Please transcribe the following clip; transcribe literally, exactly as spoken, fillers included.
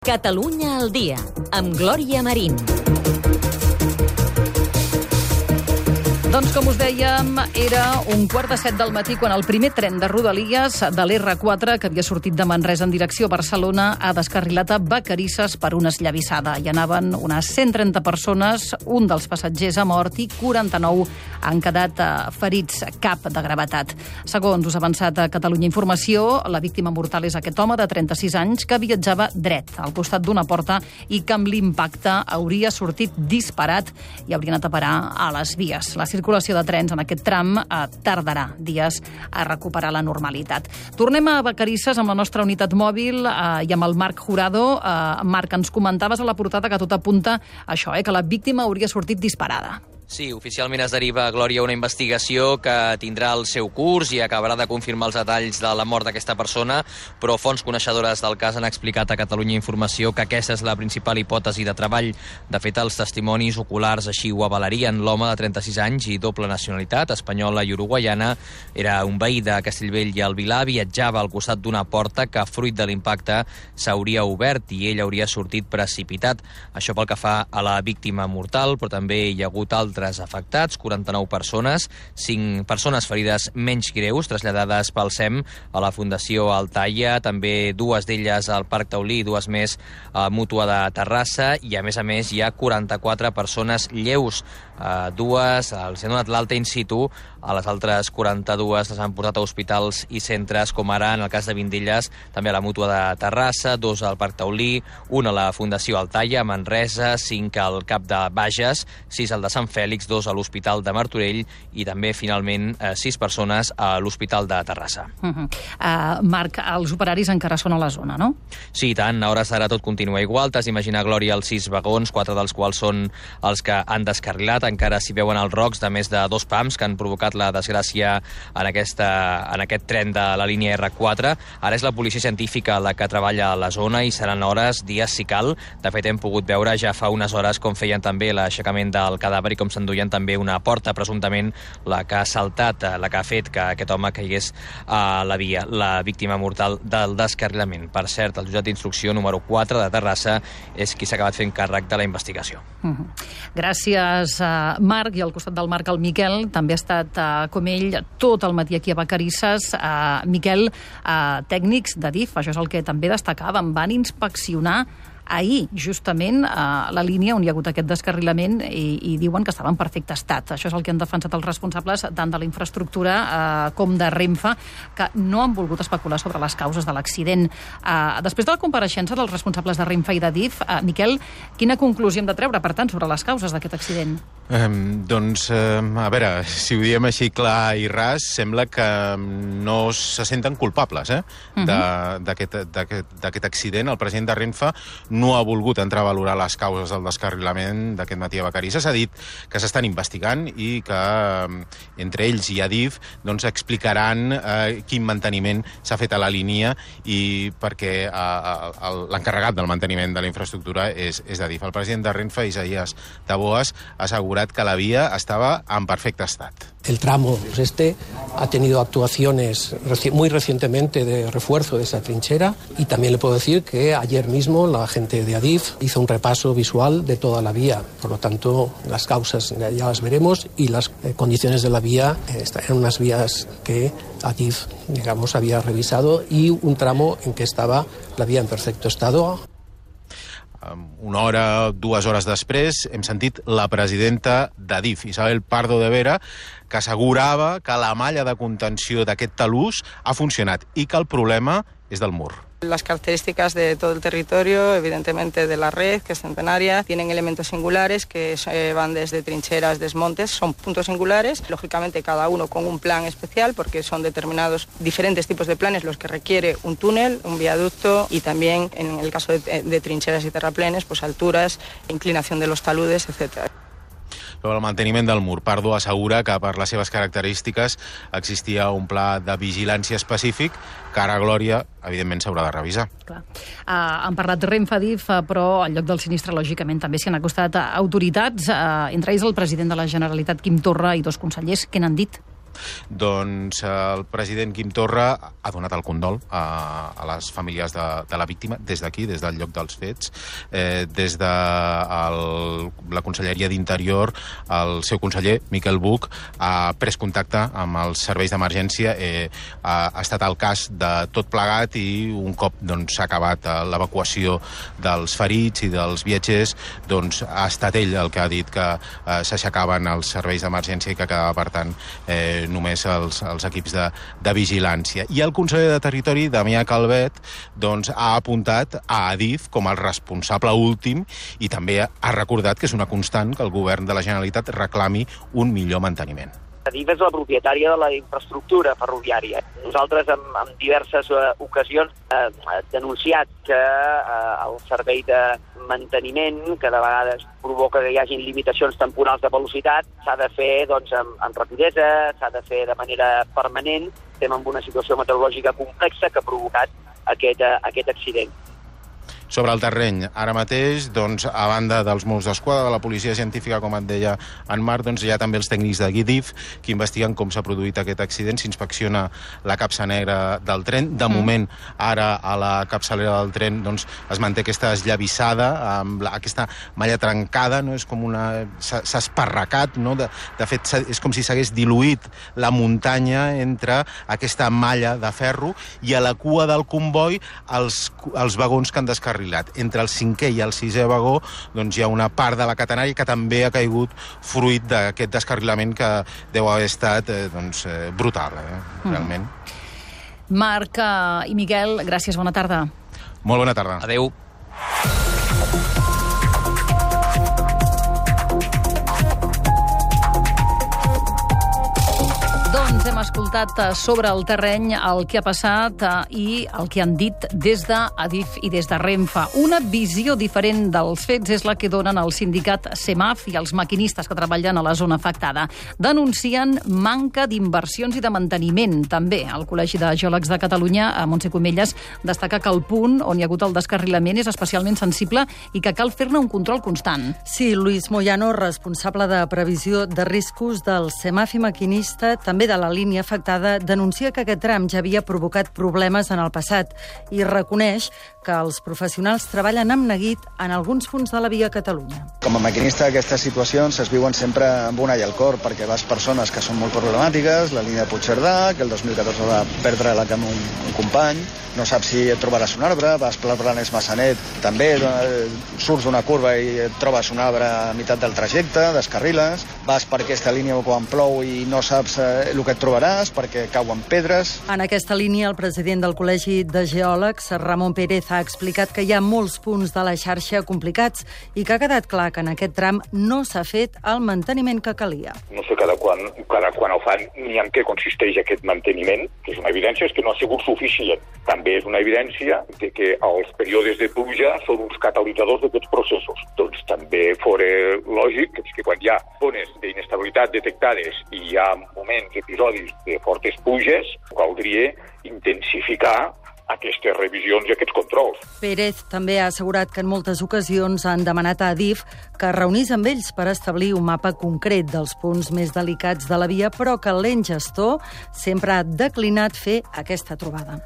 Catalunya al dia, amb Glòria Marín. Doncs, com us dèiem, era un quart de set del matí quan el primer tren de Rodalies de l'erre quatre, que havia sortit de Manresa en direcció a Barcelona, ha descarrilat a Vacarisses per una esllavissada. Hi anaven unes cent trenta persones, un dels passatgers ha mort i quaranta-nou han quedat ferits, cap de gravetat. Segons us ha avançat a Catalunya Informació, la víctima mortal és aquest home de trenta-sis anys que viatjava dret al costat d'una porta i que amb l'impacte hauria sortit disparat i hauria anat a parar a les vies. La circulació de trens en aquest tram eh, tardarà dies a recuperar la normalitat. Tornem a Vacarisses amb la nostra unitat mòbil eh, i amb el Marc Jurado. Eh, Marc, ens comentaves a la portada que tot apunta a això, eh, que la víctima hauria sortit disparada. Sí, oficialment es deriva, Glòria, una investigació que tindrà el seu curs i acabarà de confirmar els detalls de la mort d'aquesta persona, però fonts coneixedores del cas han explicat a Catalunya Informació que aquesta és la principal hipòtesi de treball. De fet, els testimonis oculars així ho avalarien. L'home de trenta-sis anys i doble nacionalitat, espanyola i uruguaiana, era un veí de Castellbell i el Vilar, viatjava al costat d'una porta que, fruit de l'impacte, s'hauria obert i ell hauria sortit precipitat. Això pel que fa a la víctima mortal, però també hi ha hagut altres afectats, quaranta-nou persones, cinc persones ferides menys greus, traslladades pel SEM a la Fundació Altaia, també dues d'elles al Parc Taulí i dues més a Mútua de Terrassa, i a més a més hi ha quaranta-quatre persones lleus. Uh, dues els han donat l'alta in situ, a les altres quaranta-dues les han portat a hospitals i centres, com ara en el cas de Vindelles, també a la Mútua de Terrassa, dos al Parc Taulí, un a la Fundació Altaia, a Manresa, cinc al Cap de Bages, sis al de Sant Fèlix, dos a l'Hospital de Martorell i també, finalment, eh, sis persones a l'Hospital de Terrassa. Uh -huh. uh, Marc, els operaris encara són a la zona, no? Sí, i tant. A hores d'ara tot continua igual. T'has d'imaginar, Glòria, els sis vagons, quatre dels quals són els que han descarrilat. Encara s'hi veuen els rocs de més de dos pams que han provocat la desgràcia en, aquesta, en aquest tren de la línia erre quatre. Ara és la policia científica la que treballa a la zona i seran hores, dies si cal. De fet, hem pogut veure ja fa unes hores com feien també l'aixecament del cadàver i com s'enduien també una porta, presumptament la que ha saltat, la que ha fet que aquest home caigués a la via, la víctima mortal del descarrilament. Per cert, el jutjat d'instrucció número quatre de Terrassa és qui s'ha acabat fent càrrec de la investigació. Uh -huh. Gràcies, uh, Marc. I al costat del Marc, el Miquel, també ha estat, uh, com ell, tot el matí aquí a Vacarisses. Uh, Miquel, uh, tècnics de DIF, això és el que també destacàvem, van inspeccionar ahir, justament, a la línia on hi ha hagut aquest descarrilament i, i diuen que estava en perfecte estat. Això és el que han defensat els responsables tant de la infraestructura eh, com de Renfe, que no han volgut especular sobre les causes de l'accident. Eh, després de la compareixença dels responsables de Renfe i de DIF, eh, Miquel, quina conclusió hem de treure, per tant, sobre les causes d'aquest accident? Um, doncs, um, a veure, si ho diem així clar i ras, sembla que no se senten culpables eh, uh -huh. d'aquest accident. El president de Renfe no ha volgut entrar a valorar les causes del descarrilament d'aquest matí a Vacarisses. Ha dit que s'estan investigant i que entre ells i Adif doncs, explicaran eh, quin manteniment s'ha fet a la línia i perquè eh, l'encarregat del manteniment de la infraestructura és, és Adif. El president de Renfe, Isaías Taboas, ha assegurat que la via estava en perfecte estat. El tramo este ha tenido actuaciones reci muy recientemente de refuerzo de esa trinchera y también le puedo decir que ayer mismo la gente de Adif hizo un repaso visual de toda la vía. Por lo tanto, las causas ya las veremos y las eh, condiciones de la vía eh, eran unas vías que Adif, digamos, había revisado y un tramo en que estaba la vía en perfecto estado. Una hora, dues hores després, hem sentit la presidenta d'Adif, Isabel Pardo de Vera, que assegurava que la malla de contenció d'aquest talús ha funcionat i que el problema és del mur. Las características de todo el territorio, evidentemente de la red, que es centenaria, tienen elementos singulares que eh, van desde trincheras, desmontes, son puntos singulares, lógicamente cada uno con un plan especial, porque son determinados diferentes tipos de planes los que requiere un túnel, un viaducto y también, en el caso de, de trincheras y terraplenes, pues alturas, inclinación de los taludes, etcétera. Sobre el manteniment del mur, Pardo assegura que per les seves característiques existia un pla de vigilància específic que ara, Glòria, evidentment s'haurà de revisar. Clar. Uh, han parlat Renfe-Adif, però al lloc del sinistre, lògicament, també s'hi han acostat autoritats, uh, entre ells el president de la Generalitat, Quim Torra, i dos consellers. Què n'han dit? doncs el president Quim Torra ha donat el condol a, a les famílies de, de la víctima des d'aquí, des del lloc dels fets, eh, des de el, la Conselleria d'Interior, el seu conseller, Miquel Buch, ha pres contacte amb els serveis d'emergència, eh, ha, ha estat al cas de tot plegat i un cop doncs, s'ha acabat l'evacuació dels ferits i dels viatgers, doncs ha estat ell el que ha dit que eh, s'aixecaven els serveis d'emergència i que quedava, per tant, eh, només els, els equips de, de vigilància. I el conseller de Territori, Damià Calvet, doncs, ha apuntat a Adif com el responsable últim i també ha recordat que és una constant que el govern de la Generalitat reclami un millor manteniment. Adif és la propietària de la infraestructura ferroviària. Nosaltres, en, en diverses uh, ocasions, eh, denunciat que eh, el servei de manteniment, que de vegades provoca que hi hagi limitacions temporals de velocitat, s'ha de fer doncs, amb, amb rapidesa, s'ha de fer de manera permanent. Estem en una situació meteorològica complexa que ha provocat aquest, uh, aquest accident. Sobre el terreny, ara mateix, doncs, a banda dels Mossos d'Esquadra, de la policia científica, com et deia en Marc, doncs hi ha també els tècnics de Adif que investiguen com s'ha produït aquest accident. S'inspecciona la capsa negra del tren. De mm. moment, ara a la capçalera del tren doncs, es manté aquesta esllavissada, amb la, aquesta malla trencada, no? És com una... s'ha esparracat, no? De, de fet, és com si s'hagués diluït la muntanya entre aquesta malla de ferro i a la cua del comboi els, els vagons que han descarregat. Entre el cinquè i el sisè vagó doncs, hi ha una part de la catenària que també ha caigut fruit d'aquest descarrilament que deu haver estat eh, doncs, eh, brutal, eh, realment. Mm. Marc uh, i Miquel, gràcies, bona tarda. Molt bona tarda. Adéu. Doncs hem escoltat sobre el terreny el que ha passat i el que han dit des d'Adif i des de Renfe. Una visió diferent dels fets és la que donen el sindicat CEMAF i els maquinistes que treballen a la zona afectada. Denuncien manca d'inversions i de manteniment. També el Col·legi de Geòlegs de Catalunya, a Montse Comelles, destaca que el punt on hi ha hagut el descarrilament és especialment sensible i que cal fer-ne un control constant. Sí, Luis Moyano, responsable de previsió de riscos del CEMAF i maquinista, també de la línia afectada, denuncia que aquest tram ja havia provocat problemes en el passat i reconeix que els professionals treballen amb neguit en alguns punts de la via Catalunya. Com a maquinista, aquestes situacions es viuen sempre amb una i al cor, perquè vas persones que són molt problemàtiques, la línia de Puigcerdà, que el dos mil catorze va perdre la amb un, un company, no saps si et trobaràs un arbre, vas per Blanes Massanet, també eh, surts d'una curva i et trobes un arbre a meitat del trajecte, descarriles, vas per aquesta línia quan plou i no saps eh, el que et trobaràs perquè cauen pedres. En aquesta línia, el president del Col·legi de Geòlegs, Ramon Pérez, ha explicat que hi ha molts punts de la xarxa complicats i que ha quedat clar que en aquest tram no s'ha fet el manteniment que calia. No sé cada quan, cada quan ho fan ni en què consisteix aquest manteniment, que és una evidència, és que no ha sigut suficient. També és una evidència de que els períodes de pluja són uns catalitzadors d'aquests processos. Doncs també fora lògic que quan hi ha zones d'inestabilitat detectades i hi ha moments, episodis de fortes pluges, caldria intensificar aquestes revisions i aquests controls. Pérez també ha assegurat que en moltes ocasions han demanat a Adif que es reunís amb ells per establir un mapa concret dels punts més delicats de la via, però que l'ens gestor sempre ha declinat fer aquesta trobada.